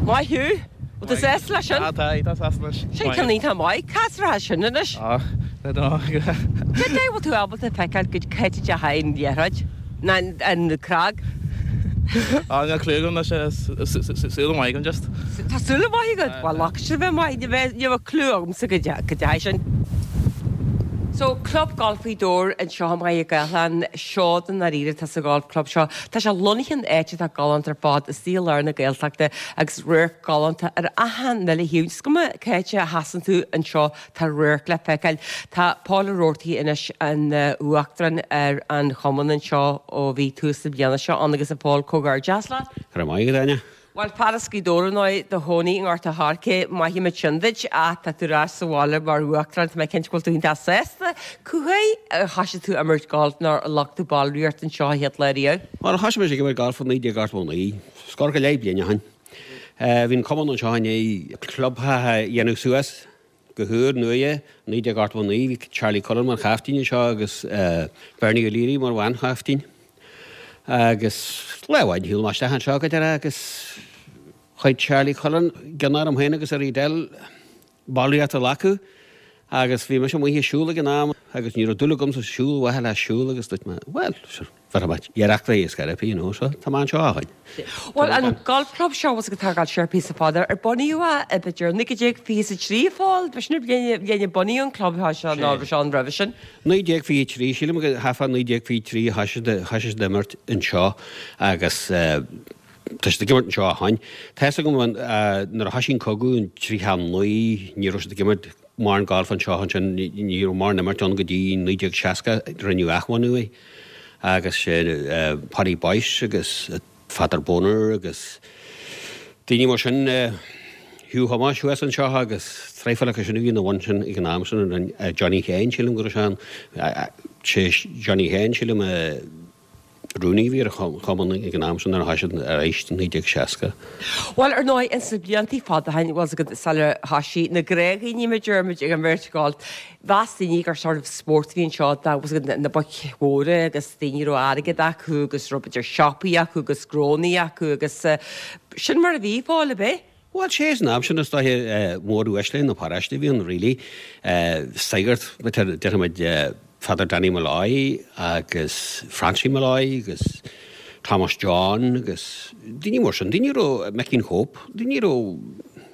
Maith thú! Bhfuil tú sásta leis sin? Ah, tá, tá sásta leis. Sin ceann iontach maith. Cá as a raibh sin anois? Ah, I don't know. Cad é bhfuil tú ábalta feiceáil go cá háit a dteachaigh an liathróid? Ná an cnag? Ah, níl clue agam anois, súil maith agam just. Tá súil mhaith agat? Bhuel, ach sin bheith maith, ní bheidh, ní bheadh clue agamsa go dteachaigh sin. So, Club Gailf Ghaoth Dobhair anseo i mBaile Gathlán, seod i ndáiríre atá sa Golf Club seo. Tá sé lonnaithe in áit atá galánta ar fad, istigh i lár na Gaeltachta agus radharc galánta ar achan uile thaobh. Is cuma cá háit a sheasann tú anseo, tá radharc le feiceáil. Tá Paul Ó Roarty anois ina uachtarán ar an chumann anseo ó bhí tús na bliana seo ann agus a Paul, comhghairdeas leat. Go raibh maith agat, Áine. Bhuel, fear as Gaoth Dobhair ar ndóigh, i do chónaí i nGort a' Choirce, maithfimid sin duit, ach tá tú ar ais sa bhaile mar uachtarán, tá mé cinnte go bhfuil tú iontach sásta. Cá huair a thoisigh tú ag imirt gailf nó ar ghlac tú ballraíocht anseo an chéad lá riamh? Bhuel, thoisigh mise ag imirt gailf i 1989, scór go leith bliain ó shin. Bhí an cumann anseo i ndiaidh clubtheach a dhéanamh suas go húr nua i 1989. Bhí Charlie Cullen mar chaiftín anseo agus Bernie O'Leary mar bhanchaiftín. Agus lá amháin shiúil mé isteach anseo go deireadh agus chuir Charlie Cullen gion orm féin agus ar Edel ballraíocht a ghlacadh agus bhí mise amuigh ag siúl ag an am agus ní raibh dúil agam sa siúl, mhaithe le siúl agus dúirt mé, bhuel, sure, bhéarfaidh mé iarracht ar scor ar bith, you know, so tá mé anseo ó shin. Bhuel, an golf club seo, bhfuil a fhios agat atá ag gabháil siar píosa fada, ar bunaíodh é b'fhéidir 1923, a Phóil? B'shin an bhliain a bunaíodh an club seo nó raibh sé ann roimhe sin? 1923, sílim go thart fá 1923 a thoisigh siad ag imirt anseo agus tá siad ag imirt anseo ó shin. Tá fhios agam nuair a thoisigh an cogadh in 39 ní raibh siad ag imirt mórán gailf anseo ansin, ní raibh mórán imirt ann go dtí 1960 rinneadh athbhunú é agus sé Paddy Boyce agus Father Bonner agus daoine mar sin, Hugh Thomáis thuas anseo agus traidhfil acu sin a bhí ina bhun sin ag an am sin, Johnny Sheáin sílim go raibh sé ann, sé Johnny Sheáin sílim a rúnaí a bhí ar an chumann ag an am sin nuair a thoisigh siad arís i 1960. Bhuel, ar ndóigh, ins na bliantaí fada ó shin, bhfuil a fhios agat, sular thoisigh na gnáthdhaoine, mar a deirimid, ag imirt gailf, mheas daoine gur sort of spórt a bhí anseo, dá, bhfuil a fhios agat, na boic mhóra agus daoine a raibh airgead acu agus raibh b'fhéidir siopaí acu agus gnónnaí acu agus sin mar a bhí, Phóil, ab é? Bhuel, sé san am sin is dóiche móruaisle na paróiste a bhí ann really. Sagart, déarfaimid Father Danny Molloy agus Francie Molloy agus Thomas John agus daoine mar sin, daoine a raibh, Mickeen Hope, daoine a raibh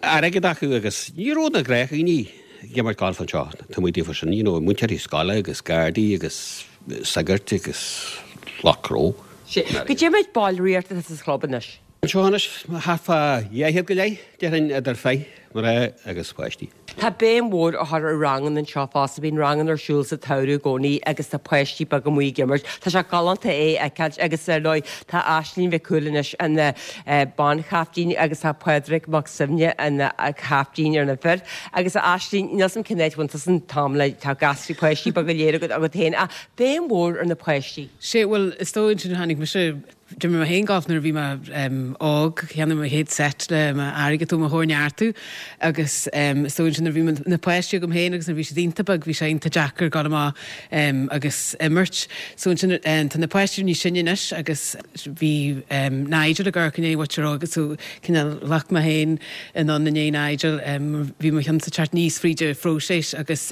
airgead acu agus ní raibh na gnáthdhaoine ag imirt gailf anseo, tá muid daofa sin, you know, múinteoirí scoile agus gardaí agus sagairt agus lucht gnó. Sé, goidé méid ballraíocht atá sa chlub anois? Anseo anois, thart fá 200 go leith, déarfainn, idir fir, mná agus páistí. Tá béim mhór á chur ar ranganna anseo fosta. Bíonn ranganna ar siúl sa tsamhradh i gcónaí agus tá páistí beaga amuigh ag imirt. Tá sé galánta é a fheiceáilt agus ar ndóigh tá Aisling Mhic Cumhaill anois ina banchaiftín agus tá Pádraig Mac Suibhne ina chaiftín ar na fir. Agus a Aisling, níl 's a'm cén áit a bhfuil tusa an t-am le, tá gasraí páistí beaga go léir agat agat féin ach béim mhór ar na páistí. Sé, bhuel, is dóigh ansin tháinig mise D'imir mé féin galf nuair a bhí mé óg, cheannaigh mé mo chéad set le m'airgead ó mo chóir-neartú agus is dóigh ansin nuair a bhí na páistí agam féin agus nuair a bhí siad iontach beag bhí sé iontach deacair dul amach agus imirt. So ansin tá na páistí níos sine anois agus bhí Nigel ag amharc i ndiaidh mhuintir óg so cineál ghlac mé féin anonn i ndiaidh Nigel bhí mo cheannsa teacht aníos fríd an phróiseas agus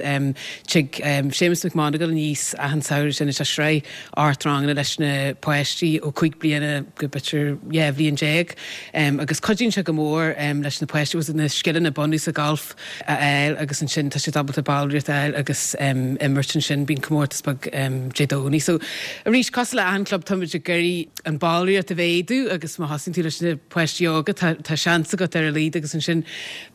tig Séamus McMonagle aníos achan samhradh sin is é sraith ocht ranganna leis na páistí ó 5 bliana go b'fhéidir 12 bhliain agus cuidíonn sé go mór leis na páistí agus na scileanna bunúsacha gailf a fháil agus ansin tá siad ábalta ballraíocht a fháil agus imirt ansin. Bíonn comórtas beag Dé Domhnaigh. So arís cosúil le achan club táimid ag iarraidh an ballraíocht a mhéadú agus má thosaíonn tú leis na páistí óga tá tá seans agat ar a laghad agus ansin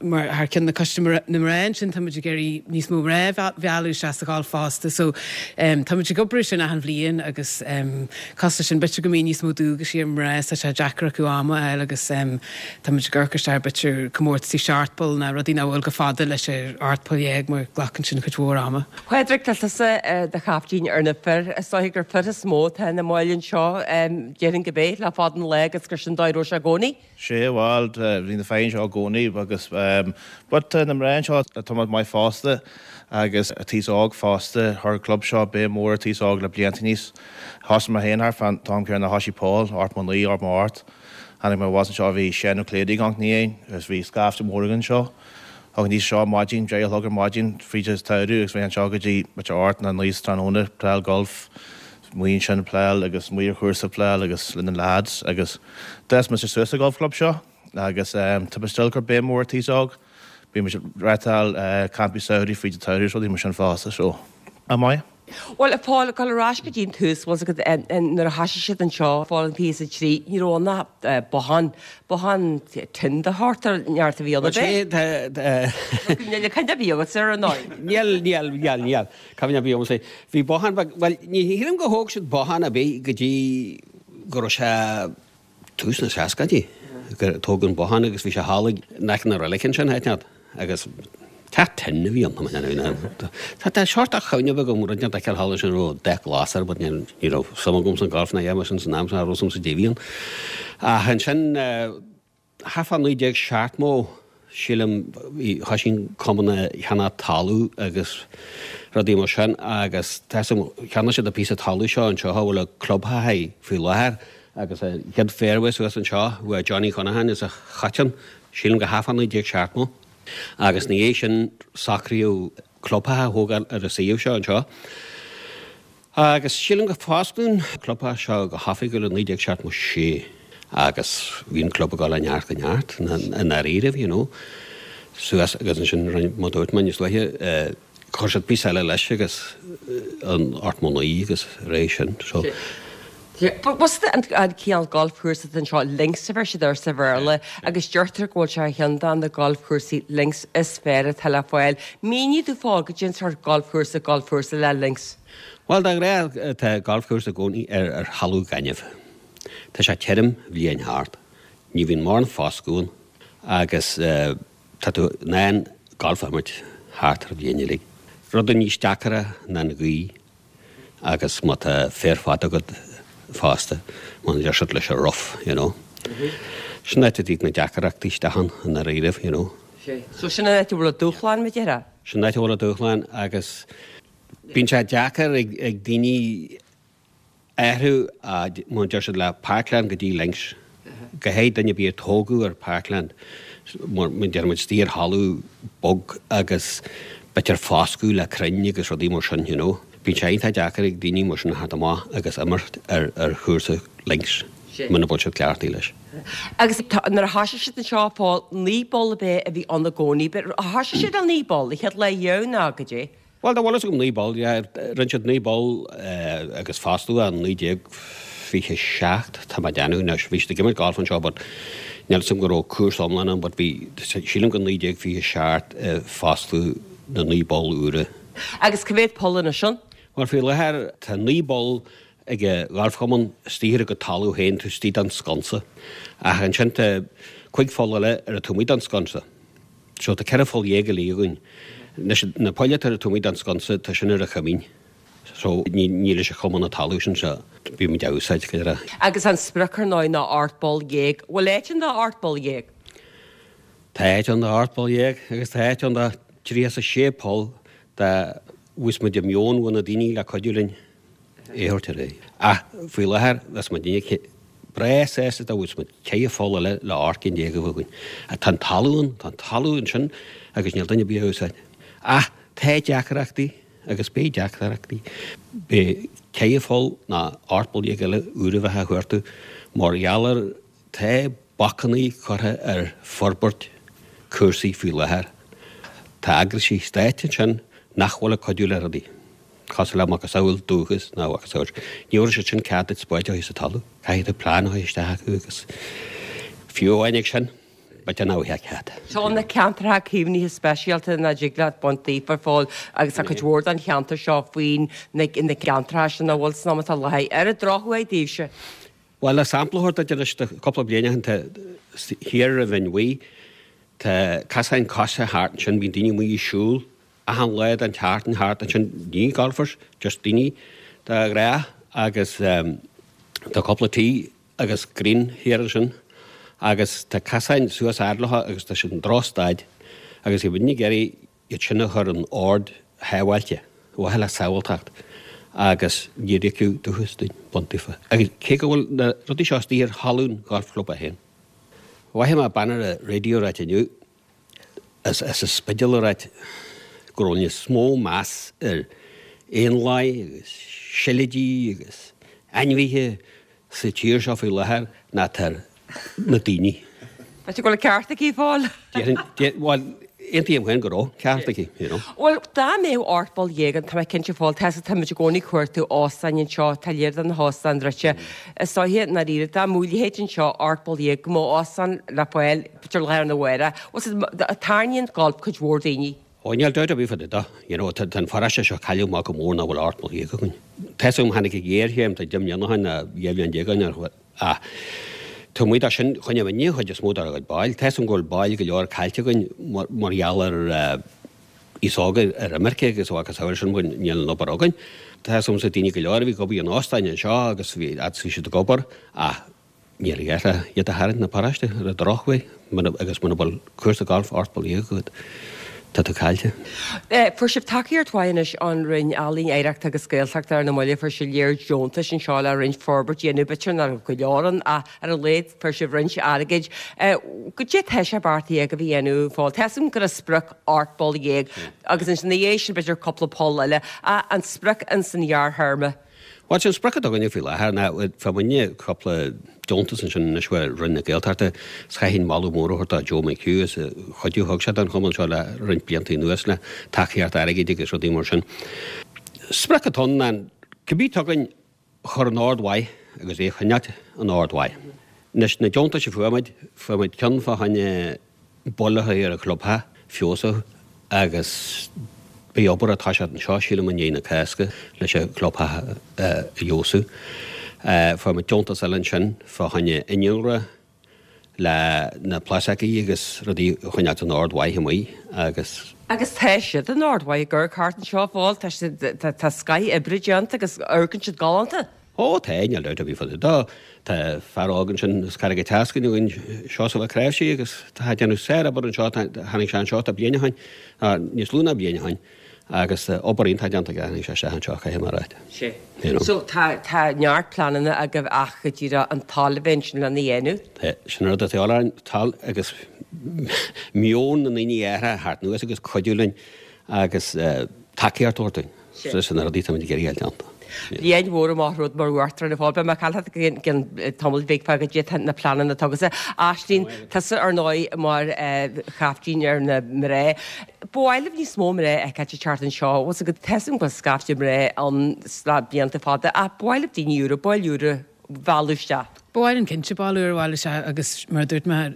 mar thar ceann na Coiste na Mná ansin táimid ag iarraidh níos mó mná a mhealladh isteach sa ghalf fosta so táimid ag obair ar sin achan bhliain agus cosúil leis sin b'fhéidir go mbíonn níos mó dualgaisí ar mná is tá sé deacair acu am a fháil agus táimid ag amharc isteach ar b'fhéidir comórtaisí seacht bpoll nó rudaí nach bhfuil chomh fada leis an 18 poll mar glacann sin cuid mhór ama. Pádraig, tá tusa i do chaiftín ar na fir. Is dóiche gur fir is mó atá ina mbaill anseo, déarfainn gurb é, le fada an lá agus gur sin dóigh a raibh sé i gcónaí. Sea, bhuel, bhí na fir anseo i gcónaí agus, but tá na mná anseo tá muid maith fosta agus an t-aos óg fosta, chuir an club seo béim mór ar an t-aos óg le blianta aníos. Thosaigh mé féin thart fán t-am céanna a thosaigh Paul, 89, 88. Tháinig mé abhus anseo bhí Seán Ó Cléirigh ag amharc ina dhiaidh agus bhí scaifte mór againn anseo. Thagainn aníos anseo ar maidin, deich a chlog ar maidin fríd an tsamhradh agus bheinn anseo go dtí b'fhéidir ocht nó naoi sa tráthnóna ag playáil golf, amuigh ansin ag playáil agus amuigh ar chúrsa ag playáil agus le na lads agus d'fhás mise suas sa golf club seo agus tá mé still ag cur béim mhór ar an t-aos óg. Bíonn muid ag reáchtáil campaí samhraidh fríd an tsamhradh agus rudaí mar sin fosta so an-mhaith. Bhuel, a Phóil, ag dul ar ais go dtí an tús, bhfuil 's agat, nuair a thoisigh siad anseo, fá an 23, ní raibh ann ach bothán, bothán tin de shórt ar neart a bhí ann, ab é? Níl cuimhne ar bith agatsa air, ar ndóigh. Níl, níl, níl, níl. Cuimhne ar bith agamsa. Bhí bothán beag, bhuel, ní shílim gur thóg siad bothán ar bith go dtí go raibh sé, tús na seascaidí gur tógadh an bothán agus bhí sé thall in aice na reilige ansin, áit inteacht, agus teach tin a bhí ann. Tá sórt de chuimhne bheag agam, rud inteacht a fheiceáil thall ansin a raibh dath glas air but ní raibh suim agam san golf ná a dhath mar sin san am sin, cha raibh suim sa dé a bhí ann. Ach ansin, Thart fá 1970, sílim, thoisigh an cumann a cheannach talamh agus rudaí mar sin agus tá 'fhios agam, cheannaigh siad an píosa talamh seo anseo a bhfuil an clubtheach faoi láthair agus an chéad fairway suas anseo uaidh Johnny Conaghan is a choiteann, sílim go thart fá 1970. Agus ina dhiaidh sin socraíodh clubtheach a thógáil ar an suíomh seo anseo. Agus sílim gur fosclaíodh an clubtheach seo go hoifigiúil i 1976 agus bhí an club ag dul ó neart go neart i ndáiríribh, you know, suas agus ansin rinne, mar dúirt mé níos luaithe, chuir siad píosa eile leis agus an 89 agus ar aghaidh sin, so. Bhuel an cineál galfchúrsa atá anseo, links a bheir siad air sa Bhéarla agus deirtear go bhfuil sé ar cheann de na galfchúrsaí links is fearr atá le fáil. Mínigh domh a Phóil, goidé an sórt galfchúrsa galfchúrsa le links. Bhuel, de ghnáth tá galfchúrsa i gcónaí ar thalamh gainimh. Tá sé tirim bhliain thart. Ní bhíonn mórán foscadh ann agus tá tú in ann galf a imirt thart ar an bhliain uilig. Rud níos deacaire ná an ghaoth agus má tá féar fada agat fosta, mar a deir siad leis an rough, you know. Sin áit a dtig na deacrachtaí isteach ann i ndáiríribh, you know. So sin an áit a bhfuil an dúshlán, mar a déarfá? Sin an áit a bhfuil an dúshlán agus Bíonn sé deacair ag daoine athrú mar a deir siad le parkland go dtí links. Go háirithe duine ar bith a tógadh ar parkland, mar a deir muid, istigh ar thalamh bog agus b'fhéidir foscadh le crainn agus rudaí mar sin, you know. Bíonn sé iontach deacair ag daoine mar sin a theacht amach agus imirt ar chúrsa links muna bhfuil siad cleachtaithe leis. Agus nuair a thoisigh siad anseo, a Phóil, 9 bpoll ab é a bhí ann i gcónaí. Thoisigh siad le 9 bpoll, an chéad lá riamh nó goidé? Bhuel, dá bhfuil fhios agam 9 bpoll, yeah, rinne siad 9 bpoll agus fosclaíodh i 1927, tá mé ag déanamh anois, bhí siad ag imirt golf anseo but níl fhios agam go raibh cúrsa iomlán ann but bhí, sílim go 1927 a fosclaíodh na 9 bpoll úra. Agus cá mhéad poll anois ann? Bhuel, faoi láthair tá 9 bpoll ag an ghalfchumann istigh ar a gcuid talamh féin taobh istigh den sconsa ach ansin tá 5 pholl eile ar an taobh amuigh den sconsa. So tá 14 pholl uilig againn. Anois na poill atá ar an taobh amuigh den sconsa tá sin ar an choimín. So ní ní leis an chumann an talamh sin so bíonn muid á úsáid go léir. Agus an sprioc ar ndóigh ná 18 bpoll. Bhfuil áit ann do 18 bpoll? Tá áit ann do 18 bpoll agus tá áit ann do 36 poll dá bhfuigheas muid an meon ó na daoine le cuidiú linn é a thabhairt ar aghaidh. Ach faoi láthair bheas muidinne breá sásta dá bhfuigheas muid ceithre pholl eile le 18 cinn a bheith againn. Ach tá an talamh ann, tá an talamh ansin agus níl duine ar bith á úsáid. Ach tá deacrachtaí agus beidh deacrachtaí. Beidh ceithre pholl ná 18 bpoll eile úr a bheith á chuartú mar gheall ar Tá bacannaí curtha ar forbairt cúrsaí faoi láthair. Tá eagraisí stáit ansin nach bhfuil ag cuidiú le rudaí, cosúil le macasamhail Dúchas nó a mhacasamhail. Ní thabharfaidh siad sin cead duit spáid a chur sa talamh. Caithfidh tú plean a chur isteach acu agus fiú amháin ag sin, b'fhéidir nach bhfaighfeá cead. Seo na ceantracha caomhnaithe speisialta nach dtig leat baint daofa a Phóil agus tá cuid mhór den cheantar seo faoin na ceantracha sin a bhfuil san am atá láthair. Ar an drochuair daoibhse. Bhuel, le sampla a thabhairt duit anois de chúpla bliain ó shin, tá thiar ar Bhinn Bhuí, tá casáin coise thart ansin, bíonn daoine amuigh ag siúl achan lá den tseachtain thart ansin, ní golfers, just daoine de ghnáth agus tá cúpla tí agus green thiar ansin agus tá casáin suas fhad leo agus tá siad in drochstaid agus bhí muidne ag iarraidh iad sin a chur in ord shábháilte, ar mhaithe le sábháilteacht, agus níor íocadh Dúchas dúinn, baint daofa. Agus cé go bhfuil na rudaí seo istigh ar thalamh an Gholf Chlub é féin. Mhothaigh mé bean ar an raidió ag ráit inniu, as an Spidéal ag ráit go raibh níos mó meas ar éanlaith agus seilidí agus ainmhithe sa tír seo faoi láthair ná atá ar na daoine. B'fhéidir go bhfuil an ceart aici, a Phóil. Déarfainn, bhuel, aontaím féin go raibh ceart aici, you know. Bhuel, dá mbeadh 18 poll ann, tá mé cinnte, a Phóil, tá táimid i gcónaí ag cuartú óstáin anseo, tá lear de na hóstáin druidte. Is dóiche, i ndáiríre, dá mbeadh a leithéid anseo, 18 poll, go mbeadh óstán le fáil, b'fhéidir lá arna mhárach. Bhuel, tarraingíonn golf cuid mhór daoine. Ó, níl dabht ar bith fá dtaobh de. You know, tá an pharóiste seo cailleadh amach go mór nach bhfuil 18 poll againn. Tá 'fhios agam, tháinig an ghéarchéim, tá 10 mbliana ó shin, nó 12 bhliain ó shin, ar ach taobh amuigh de sin, choinnigh muidne an chuid is mó dár gcuid baill. Tá 'fhios agam go bhfuil baill go leor caillte againn mar gheall ar aos óg ar imirce agus a mhacasamhail sin, níl an obair againn. Tá 'fhios agamsa daoine go leor a bhí ag obair in óstáin anseo agus bhí, agus bhí siad ag obair ach Níl a dhath le iad a tharraingt 'na paróiste ar an drochuair agus muna bhfuil cúrsa gailf 18 poll agat, tá tú caillte. Fuair sibh tacaíocht mhaith anois ón Roinn Ealaíon, Oidhreachta agus Gaeltachta ar na mallaibh. Fuair sibh lear deontais anseo le roinnt forbairt a dhéanamh. B'fhéidir nach raibh go leor ann ach ar a laghad fuair sibh roinnt airgid. Goidé tá sé beartaithe agaibh a dhéanamh, a Phóil? Tá 'fhios agam go raibh sprioc 18 poll agus ansin ina dhiaidh sin b'fhéidir cúpla poll eile. Ach an sprioc ins an ghearrthéarma? Bhuel, sin sprioc atá againne faoi láthair ná fuair muidne cúpla deontas ansin anois ó Roinn na Gaeltachta is chaithfinn moladh mór a thabhairt do Joe McHugh as an chuidiú a thug sé don chumann seo le roinnt blianta anuas le tacaíocht airgid agus rudaí mar sin. Sprioc atá ann ná cibé atá againn a chur in ord mhaith agus é a choinneáilt in ord mhaith. Anois na deontais a fuair muid, fuair muid ceann fá choinne baill a chur ar an chlubtheach, feabhsú agus beidh obair ag toiseacht anseo, sílim i ndiaidh na Cásca leis an chlubtheach a fheabhsú. Fuair muid deontas eile ansin fá choinne innealra le na plasaicí agus rudaí a choinneáilt in ord mhaith amuigh agus. Agus tá siad in ord mhaith ag amharc thart anseo a Phóil, tá siad, tá scoth oibre déanta agus amharcann siad galánta. Ó tá, níl dabht ar bith fá dtaobh de. Tá fear óg ansin as Carraig an tSeascainn againn, Seosamh Ó Cnáimhsí, agus tá ag déanamh sár-obair anseo, tháinig sé anseo tá bliain ó shin, níos lú ná bliain ó shin, agus obair iontach déanta aige, tháinig sé isteach anseo, caithfidh mé a ráit. Sea. You know. So tá, tá neart pleananna agaibh ach go díreach an toil a bheith ansin lena dhéanamh. Tá, sin an rud atá de dhíobháil orainn, toil agus meon na ndaoine a athrú thart anuas agus cuidiú linn agus tacaíocht a thabhairt dúinn. Sin na rudaí táimid ag iarraidh a fháil déanta. Bliain mhór amach romhat mar uachtarán a Phóil. Beidh mé ag caint leat i gcionn tamaill bhig fá goidé tá na pleananna atá agatsa. Aisling, tusa ar ndóigh mar chaiftín ar na mná. Ba mhaith libh níos mó mná a fheiceáilt ag teacht anseo. Bhfuil 's agat, tá 'fhios agam go bhfuil scaifte mná ann sna blianta fada ach ba mhaith libh daoine úra, baill úra a mhealladh isteach. Ba mhaith linn cinnte baill úr a mhealladh isteach agus mar a dúirt mé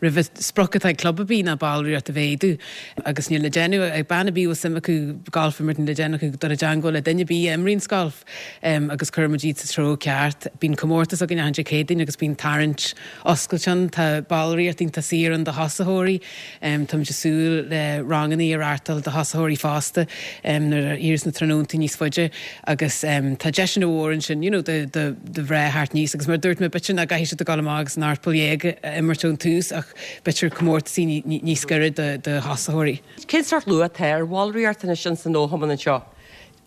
roimhe, sprioc atá ag club ar bith ná ballraíocht a mhéadú agus níl le déanamh ag bean ar bith a bhfuil suim acu galf a imirt níl le déanamh acu dul i dteangmháil le duine ar bith a imríonns galf agus cuirfimid iad sa treo ceart. Bíonn comórtas againn achan Dé Céadaoin agus bíonn tarraingt oscailte ann. Tá ballraíocht iontach saor ann do thosaitheoirí. Táimid ag súil le ranganna a reáchtáil do thosaitheoirí fosta nuair a éiríos na tráthnóntaí níos faide agus tá deiseanna mhóra ansin you know do do do mhná theacht aníos agus mar a dúirt mé b'fhéidir nach gcaithfidh siad a ghabháil amach agus an 18 poll a imirt ón tús ach b'fhéidir comórtasaí níos gaire do thosaitheoirí. Cén sórt luach atá ar bhallraíocht anois ins an fhochumann anseo?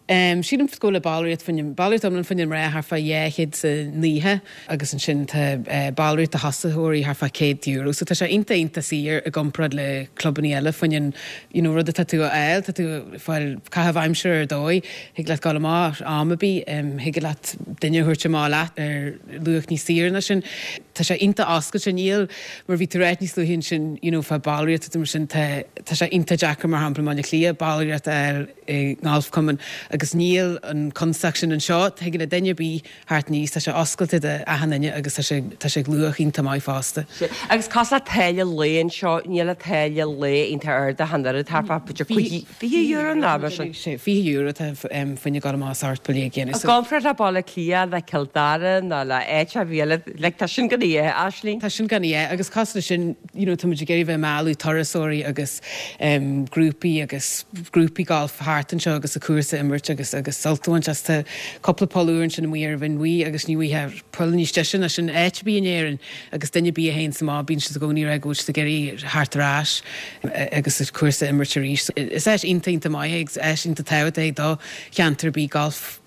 Sílim go bhfuil ballraíocht fá choinne, ballraíocht iomlán fá choinne mná thart fá 290 agus ansin tá ballraíocht do thosaitheoirí thart fá €100 so tá sé iontach iontach saor i gcomparáid le clubannaí eile fá choinne an you know rud atá tú a fháil, tá tú ag fáil caitheamh aimsire ar dóigh. Thig leat dul amach am ar bith, thig leat duine a thabhairt amach leat ar luach níos saoire ná sin. Tá sé iontach oscailte, níl, mar bhí tú ag ráit níos luaithe ansin, you know, fá ballraíocht agus mar sin, tá, tá sé iontach deacair mar shampla i mBaile Átha Cliath ballraíocht a fháil i ngalfchumann agus níl an constaic sin anseo, thig le duine ar bith theacht aníos. Tá sé oscailte do achan duine agus tá sé, tá sé ag luach iontach maith fosta. Sea. Agus cosúil le táille lae anseo, níl an táille lae iontach ard ach an oiread, thart fá b'fhéidir €20 nó mar sin. Sea, €20 atá fá choinne dul amach is 18 poll a dhéanamh. I gcomparáid le Baile Átha Cliath, le Cill Dara nó le áit ar bith eile, like tá sin gan a dhath, Aisling. Tá sin gan a dhath agus cosúil leis sin, you know, táimid ag iarraidh bheith ag mealladh turasóirí agus grúpaí agus grúpaí gailf thart anseo agus an cúrsa a imirt agus agus sult a bhaint as. Tá cúpla poll úr ansin amuigh ar Bhinn Bhuí agus ní bhfaighfeá poll níos deise ná sin áit ar bith in Éirinn agus duine ar bith a théanns amach bíonn siad i gcónaí ag rá go bhfuil siad ag iarraidh theacht ar ais agus an cúrsa a imirt arís. Is áis iontach iontach maith é agus áis iontach tábhachtach é do cheantar ar bith galf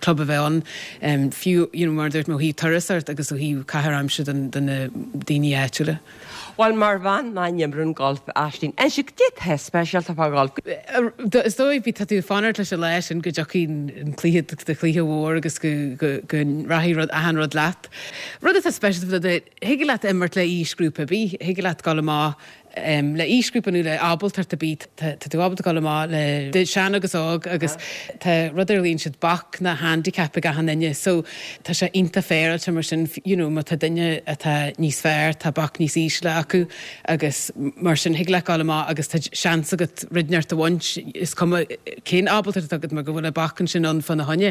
club a bheith ann fiú you know mar a dúirt mé ó thaobh turasóireacht agus ó thaobh caitheamh aimsire. aimsir do na daoine áitiúla. Bhuel, mar bhean nach n-imríonn golf, Aisling, inis cad é atá speisialta fá gholf. Is dóigh, bhí, tá tú ag fanacht leis an lá sin go dtiocfaidh an cluiche, do chluiche mhór agus go, go, go rachaidh rud, achan rud leat. Rud atá speisialta fá dtaobh de, thig leat imirt le aoisghrúpa ar bith, thig leat dul amach le aoisghrúpa nó le ábaltacht ar bith, tá tú ábalta dul amach le sean agus óg agus tá rud ar a ghlaonn siad bac ná handicap ag achan duine so tá sé iontach féaráilte mar sin you know má tá duine atá níos fearr tá bac níos ísle acu agus mar sin thig leat dul amach agus tá seans agat rud inteacht a bhaint is cuma cén ábaltacht atá agat mar go bhfuil an bac ansin ann fána choinne.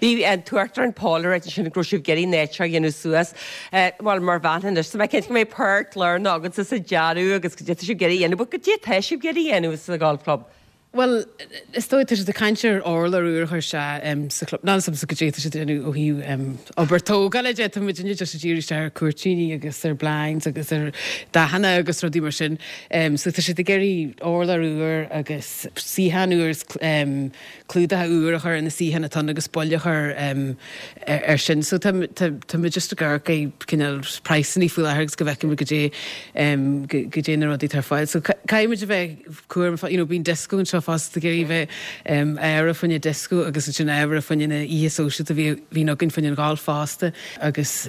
Bhí an tUachtarán Paul ag ráit ansin go raibh sibh ag iarraidh an áit seo a dhéanamh suas. Bhuel, mar bhean anois, tá mé cinnte go mbeidh páirt lárnach agatsa sa dearadh agus cad é atá sibh ag iarraidh a dhéanamh, but cad é atá sibh ag iarraidh a dhéanamh sa Golf Club? Bhuel, is dóigh, tá siad ag caint ar urlár úr a chur isteach sa chlub. Níl a fhios agamsa cad é atá siad ag déanamh ó thaobh obair tógála de, tá muidinne just ag díriú isteach ar cúirtíní agus ar blinds agus ar dathanna agus rudaí mar sin. So tá siad ag iarraidh urlár úr agus suíochán úr is clúdacha úr a chur ar na suíocháin atá ann agus buille a chur air sin. So tá tá muid just ag amharc ar cineál praghsanna faoi láthair agus go bhfeicfidh muid goidé goidé na rudaí atá ar fáil. So caithfidh muid a bheith cúramach, you know bíonn disco anseo fosta ag iarraidh bheith ábhartha fá choinne disco agus ansin ábhartha fá choinne na oíche sóisialta a bhíonn againn fá choinne an gholf fosta agus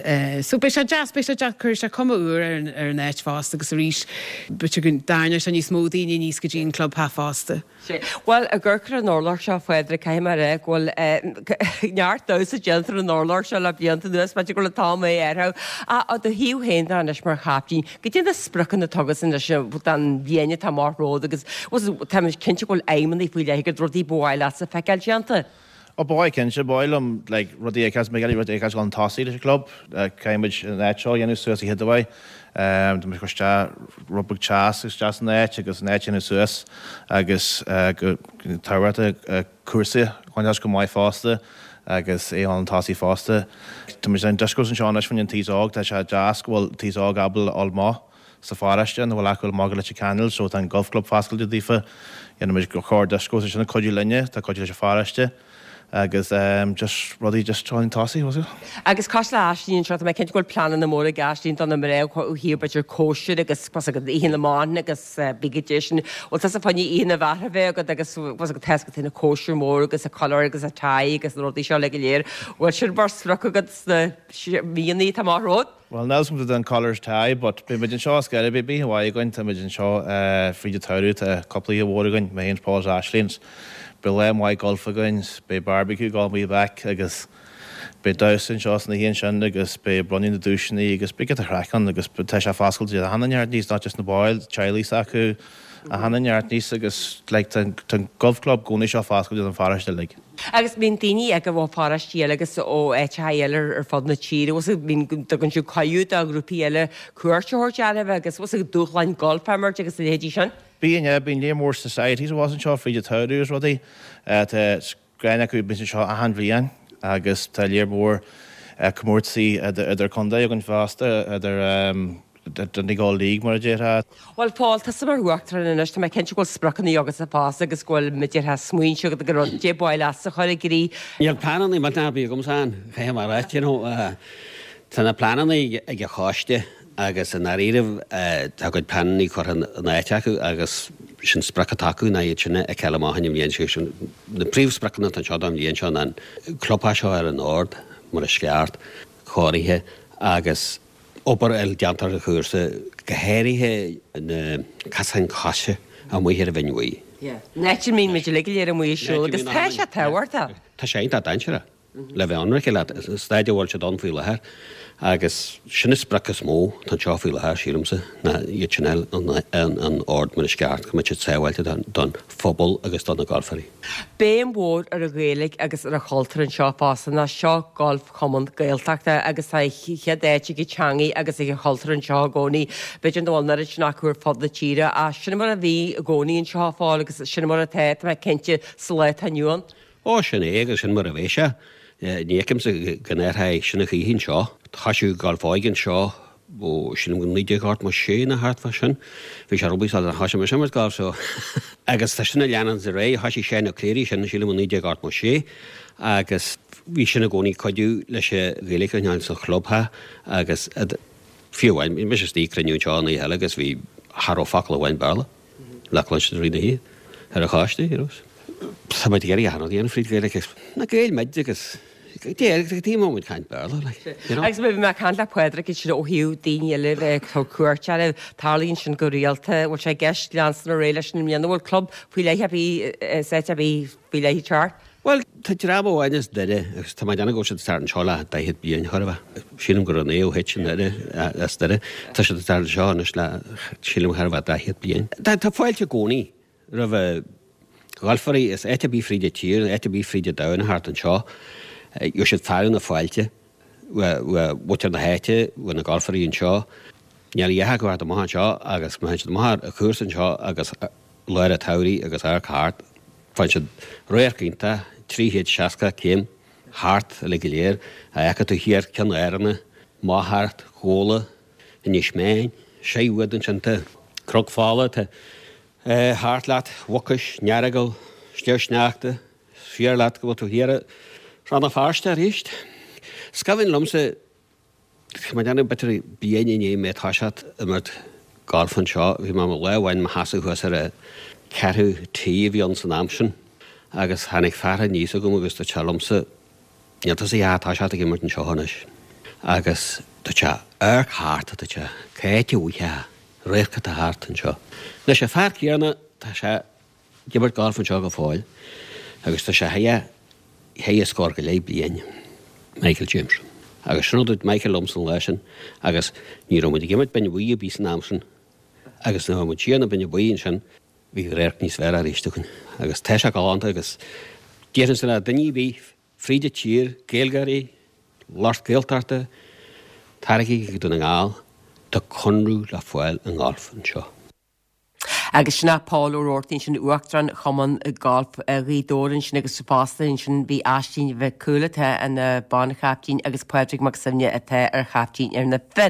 so beidh sé deas, beidh sé deas, cuirfidh sé cuma úr ar an ar an áit fosta agus arís b'fhéidir go dtarraingeoidh sé níos mó daoine aníos go dtí an clubtheach fosta. Sea. Bhuel, ag amharc ar an urlár seo, a Phádraig, caithfidh mé a rá go bhfuil neart damhsa déanta ar an urlár seo le blianta anuas, b'fhéidir go bhfuil an t-am é a athrú. Ach ó do thaobh féin de anois mar chaiptín, goidé na spriocanna atá agatsa anois don bhliain atá amach romhat agus tá mé cinnte go bhfuil aidhmeanna faoi leith agat, rudaí ba mhaith leatsa feiceáil déanta. Ó, ba mhaith cinnte, ba mhaith liom like rudaí a fheiceáil, mé ag iarraidh rudaí a fheiceáil chun tosaigh leis an gclub. Caithfidh muid an áit seo a dhéanamh suas a chéad mhaith. Tá muid ag cur isteach rud beag teas isteach san áit agus an áit a dhéanamh suas agus go tábhachtach cúrsaí a bhaint as go maith fosta agus é chun tosaigh fosta. Tá muid ag déanamh discos anseo anois fá choinne an t-aos óg, tá sé deas go bhfuil an t-aos óg ábalta a dhul amach sa pharóiste nach bhfuil acu amach go Leitir Ceanainn so tá an Golf Club foscailte daofa. Dhéanann muid go leor discos ansin ag cuidiú linne, tá cuidiú leis an pharóiste agus ehm just rudaí just chun tosaigh, was it? Agus cosúil le Aisling anseo, tá mé cinnte go bhfuil pleananna móra ag Aisling do na mná ó thaobh b'fhéidir cóisir agus was agat oíche na mban agus bí go dtí sin. Bhfuil tusa fá choinne oíche na bhfear a bheith agat agus was agat tá agat na cóisir mór agus a collar agus a tie agus na rudaí seo le go léir. Bhfuil sin mar sprioc agat sna míonna atá amach romhat? Bhuel, níl 'fhios agam don collar tie, but beidh muid anseo ar scor ar bith, beidh oíche mhaith againn, tá muid anseo fríd an tsamhradh, tá cúpla oíche mhór againn, mé féin, Paul is Aisling, beidh lá maith golf againn, beidh barbecue ag dul amuigh back agus beidh damhsa anseo san oíche ansin agus beidh bronnadh na duaiseanna agus beidh giota craic ann agus tá sé foscailte do achan duine níos, not just na baill, teaghlaigh s'acu, achan duine níos agus like tá an golf club i gcónaí seo foscailte don pharóiste uilig. Agus bíonn daoine ag ó pharóistí eile agus ó áiteacha eile ar fud na tíre, bhfuil 's agat, bíonn, dtugann siad cuireadh do ghrúpaí eile cuairt a thabhairt oraibh agus bhfuil 's agat, dúshláin golf a imirt agus a leithéidí sin. Bíonn, yeah, bíonn léar mór societies abhus anseo fríd an tsamhradh agus rudaí. Tá greann acu, bíonn siad anseo achan bhliain agus tá léar mór comórtasaí idir contae againn fosta, idir Donegal League mar a déarfá. Bhuel, Paul, tusa mar uachtarán anois, tá mé cinnte go bhfuil spriocanna agatsa fosta agus go bhfuil, mar a déarfá, smaointe agat go rud dé ba mhaith leatsa a chur i gcrích. Níl pleananna millteanacha ar bith agamsa ann, caithfidh mé a ráit, you know. Tá na pleananna ag an choiste agus i ndáiríribh tá a gcuid pleananna curtha in áit acu agus sin sprioc atá acu ná iad sin a fheiceáil amach an bhliain seo. Sin na príomhspriocanna atá anseo don bhliain seo ná an clubtheach seo ar an ord mar is ceart, cóirithe agus obair eile déanta ar an chúrsa, go háirithe na casáin coise amuigh ar an Bhinn Bhuí. An áit a mbíonn muid uilig go léir amuigh ag siúl agus tá sé tábhachtach. Tá sé iontach dainséarach, le bheith ionraic leat, an staid a bhfuil siad ann faoi láthair agus sin an sprioc is mó atá anseo faoi láthair, sílimse, ná iad sin a fháil in ord mar is ceart, go mbeidh siad sábháilte don phobal agus do na galfairí. Béim mhór ar an Ghaeilge agus ar an chultúr anseo fosta, nó seo Galf Chumann Gaeltachta agus tá a chéad áit ag an teangaidh agus ag an chultúr anseo i gcónaí. B'fhéidir nach bhfuil an oiread sin acu ar fud na tíre ach sin mar a bhí i gcónaí anseo a Phóil agus sin mar atá, tá mé cinnte, sa lá atá inniu ann. Ó, sin é agus sin mar a bheidh sé. Ní fheicimse go n-athróidh sin a choíche anseo. Thoisigh Galf Óige anseo ó, sílim go 1986 nó thart fá sin. Bhí sé rubí sula thoisigh mise imirt gailf so. Agus tá sin ag leanúint ar aghaidh. Thoisigh Seán Ó Cléirigh sin, sílim i 1986 agus bhí sin i gcónaí ag cuidiú leis an Ghaeilge a choinneáil sa chlubtheach agus. Fiú amháin, bhí mise istigh ag cruinniú anseo an oíche eile agus bhí, cha raibh focal amháin Béarla le cluinstin i rith na hoíche ar an choiste, you know. Tá muid ag iarraidh achan rud a dhéanamh fríd Ghaeilge agus na Gaeil muid agus taobh amuigh muid caint Béarla, like, you know. Agus bhí mé ag caint le Pádraig ansin ó thaobh daoine eile bheith ag tabhairt cuairt oraibh, tarlaíonn sin go rialta, bhfuil sé i gceist leanstan ar aghaidh leis sin i mbliana, bhfuil club faoi leith ar bith, seit ar bith faoi leith ag teacht? Bhuel, tá dream amháin as Doire agus tá mé ag déanamh go bhfuil siad ag teacht anseo le 40 bliain, chóir a bheith. Sílim gur an Naomh H i nDoire, as Doire. Tá siad ag teacht anseo anois le, sílim, chóir a bheith 40 bliain. Tá fáilte i gcónaí roimh ghalfairí as áit ar bith fríd an tír, áit ar bith fríd an domhan a theacht anseo. Gheobhaidh siad fearadh na fáilte ó mhuintir na háite, ó na galfairí anseo. Níl a dhath acu a theacht amach anseo agus má théann siad amach ar an chúrsa anseo agus lár an tsamhraidh agus amharc thart, Faigheann siad radharc iontach, 360 céim thart uilig go léir, a fheiceann tú thiar Ceann Áranna, amach thart Ghabhla, Inis Meáin, sé uait ansin tá Cnoc Fola, tá thart leat Mhucais, nEaragail, Sliabh Sneachta, is fíor leat go bhfuil tú thiar i Rann na Feirste arís. Is cuimhin liomsa Tá mé ag déanamh b'fhéidir bliain i ndiaidh mé toiseacht imirt gailf anseo. Bhí mé lá amháin i mo sheasamh thuas ar an ceathrú tee a bhí ann san am sin agus tháinig fear aníos chugam agus dúirt sé liomsa, Níl tusa a dhath ag toiseacht ag imirt anseo anois. Agus dúirt sé, Amharc thart, a dúirt sé, cá háit a bhfaighfeá radharc atá thart anseo. Anois an fear céanna, tá sé ag imirt gailf anseo go fóill agus tá sé thar scór go leith bliain, Michael James. Agus sin a dúirt Michael liomsa an lá sin agus ní raibh muid ag imirt Binne Buí ar bith san am sin agus nuair a bhí muid siar na Binne Buí ansin bhí radharc níos fearr arís againn agus tá sé galánta agus déarfainnse le duine ar bith fríd an tír, Gaeilgeoirí, lucht Gaeltachta, taraigí go Dún na nGall, tá conradh le fáil i ngalf anseo. Agus sin é Pól Ó Roarty ansin, Uachtarán Chumann Gailf Ghaoth Dobhair ansin agus fosta ansin bhí Aisling Mhic Cumhaill atá ina banchaiptín agus Pádraig Mac Suibhne atá ar chaiptín ar na fir.